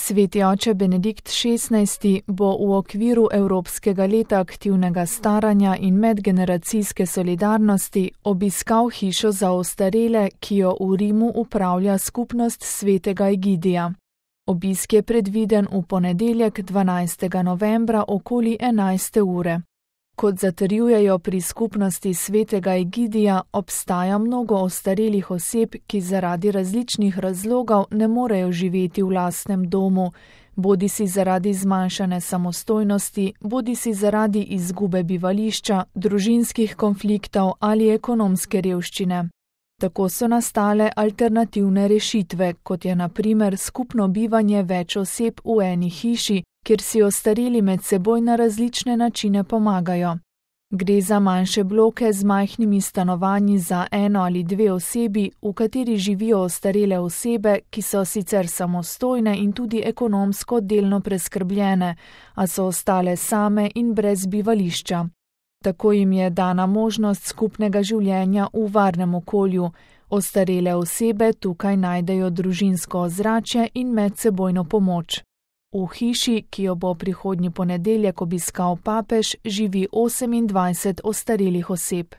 Sveti oče Benedikt XVI bo v okviru Evropskega leta aktivnega staranja in medgeneracijske solidarnosti obiskal hišo za ostarele, ki jo v Rimu upravlja skupnost svetega Egidija. Obisk je predviden v ponedeljek 12. novembra okoli 11. ure. Kot zatrjujejo pri skupnosti svetega Egidija, obstaja mnogo ostarelih oseb, ki zaradi različnih razlogov ne morejo živeti v lastnem domu, bodisi zaradi zmanjšane samostojnosti, bodisi zaradi izgube bivališča, družinskih konfliktov ali ekonomske revščine. Tako so nastale alternativne rešitve, kot je na primer skupno bivanje več oseb v eni hiši, kjer si ostareli med seboj na različne načine pomagajo. Gre za manjše bloke z majhnimi stanovanji za eno ali dve osebi, v kateri živijo ostarele osebe, ki so sicer samostojne in tudi ekonomsko delno preskrbljene, a so ostale same in brez bivališča. Tako jim je dana možnost skupnega življenja v varnem okolju. Ostarele osebe tukaj najdejo družinsko ozračje in medsebojno pomoč. V hiši, ki jo bo prihodnji ponedeljek obiskal papež, živi 28 ostarelih oseb.